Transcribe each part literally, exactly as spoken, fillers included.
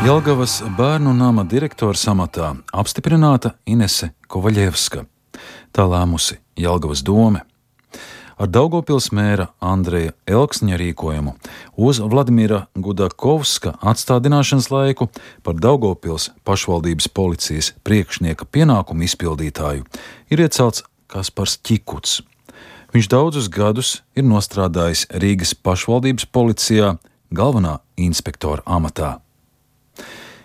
Jelgavas bērnu nama direktores amatā apstiprināta Inese Kovaļevska. Tā lēmusi Jelgavas dome. Ar Daugavpils mēra Andreja Elksņa rīkojumu uz Vladimira Gudakovska atstādināšanas laiku par Daugavpils pašvaldības policijas priekšnieka pienākumu izpildītāju ir iecelts Kaspars Ķikuts. Viņš daudzus gadus ir nostrādājis Rīgas pašvaldības policijā galvenā inspektora amatā.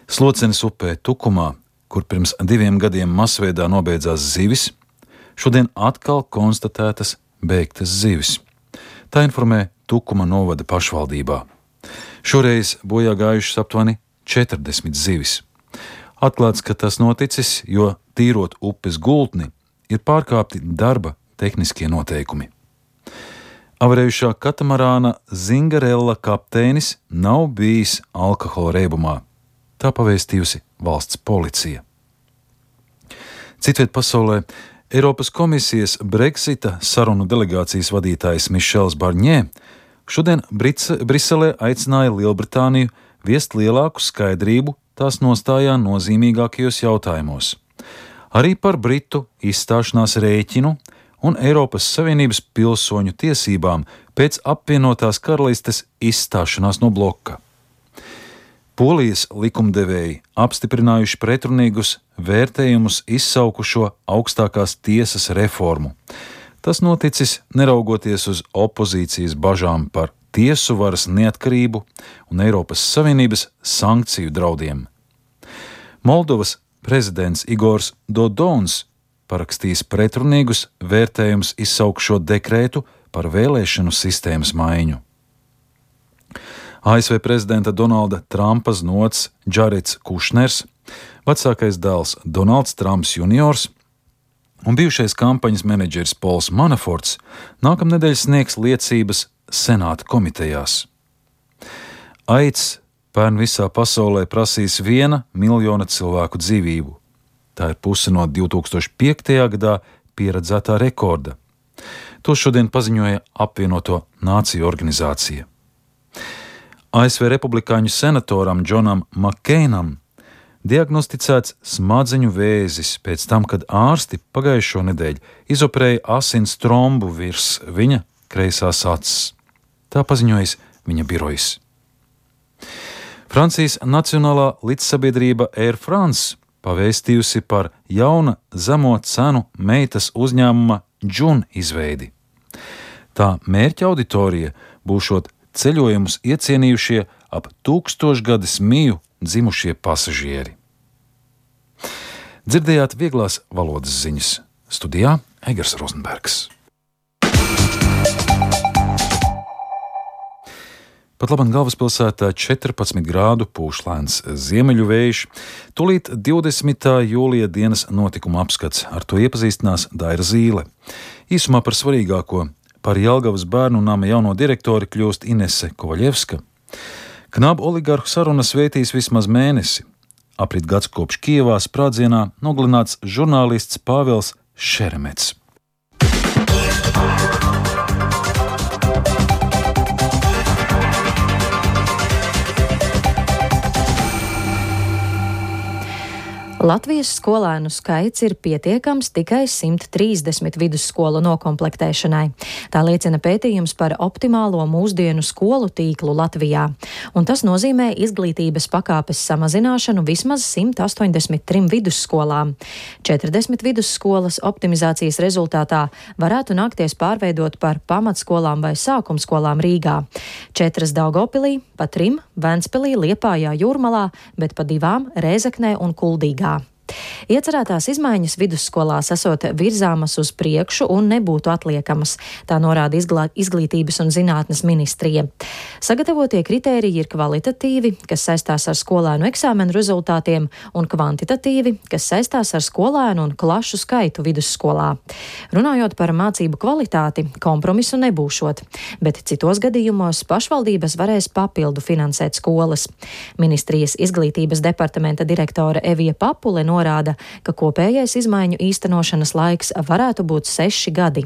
Slocenes upē Tukumā, kur pirms diviem gadiem masveidā nobeidzās zivis, šodien atkal konstatētas beigtas zivis. Tā informē Tukuma novada pašvaldībā. Šoreiz bojā gājušas aptuveni četrdesmit zivis. Atklāts, ka tas noticis, jo tīrot upes gultni ir pārkāpti darba tehniskie noteikumi. Avarējušā katamarāna Zingarella kapteinis nav bijis alkohola reibumā. Tā pavēstījusi valsts policija. Citviet pasaulē Eiropas komisijas Brexita sarunu delegācijas vadītājs Mišels Barņē šodien Brice, Briselē aicināja Lielbritāniju viest lielāku skaidrību tās nostājā nozīmīgākajos jautājumos. Arī par Britu izstāšanās rēķinu un Eiropas Savienības pilsoņu tiesībām pēc apvienotās karalistes izstāšanās no bloka. Polijas likumdevēji apstiprinājuši pretrunīgus vērtējumus izsaukušo augstākās tiesas reformu. Tas noticis neraugoties uz opozīcijas bažām par tiesu varas neatkarību un Eiropas Savienības sankciju draudiem. Moldovas prezidents Igors Dodons parakstījis pretrunīgus vērtējumus izsaukšo dekrētu par vēlēšanu sistēmas maiņu. A S V prezidenta Donalda Trumpa znots Džareds Kušners, vecākais dēls Donalds Trumps juniors un bijušais kampaņas menedžeris Pols Manaforts nākamnedēļ sniegs liecības senāta komitejās. AIDS pērn visā pasaulē prasīs viena miljona cilvēku dzīvību. Tā ir puse no divi tūkstoši piektajā gadā pieredzētā rekorda. To šodien paziņoja apvienoto nāciju organizācija. A S V republikāņu senatoram Džonam Makeinam diagnosticēts smadzeņu vēzis pēc tam, kad ārsti pagājušo nedēļu izoperēja asins trombu virs viņa kreisās acis. Tā paziņojis viņa birojs. Francijas Nacionālā līdzsabiedrība Air France pavēstījusi par jauna zemo cenu meitas uzņēmuma Džun izveidi. Tā mērķa auditorija būšot ceļojumus iecienījušie ap tūkstošgades miju dzimušie pasažieri. Dzirdējāt vieglās valodas ziņas. Studijā Egers Rozenbergs. Pat labam galvaspilsētā četrpadsmit grādu pūš lēns ziemeļu vējš. Tūlīt divdesmitā jūlija dienas notikuma apskats. Ar to iepazīstinās Daira Zīle. Īsumā par svarīgāko. Par Jelgavas bērnu nama jauno direktori kļūst Inese Kovaļevska. Knabu oligarhu sarunas vētīs vismaz mēnesi. Aprit gads kopš Kijevā sprādzienā nogalināts žurnālists Pāvils Šeremets. Latvijas skolēnu skaits ir pietiekams tikai simt trīsdesmit vidusskolu nokomplektēšanai. Tā liecina pētījums par optimālo mūsdienu skolu tīklu Latvijā. Un tas nozīmē izglītības pakāpes samazināšanu vismaz simt astoņdesmit trim vidusskolām. četrdesmit vidusskolas optimizācijas rezultātā varētu nākties pārveidot par pamatskolām vai sākumskolām Rīgā. Četras Daugavpilī, pa trim Ventspilī, Liepājā, Jūrmalā, bet pa divām Rēzeknē un Kuldīgā. Iecerētās izmaiņas vidusskolās esot virzāmas uz priekšu un nebūtu atliekamas, tā norāda izglā, izglītības un zinātnes ministrija. Sagatavotie kritēriji ir kvalitatīvi, kas saistās ar skolēnu eksāmenu rezultātiem, un kvantitatīvi, kas saistās ar skolēnu un klašu skaitu vidusskolā. Runājot par mācību kvalitāti, kompromisu nebūšot, bet citos gadījumos pašvaldības varēs papildu finansēt skolas. Ministrijas izglītības departamenta direktore Evija Papule norāda, ka kopējais izmaiņu īstenošanas laiks varētu būt seši gadi.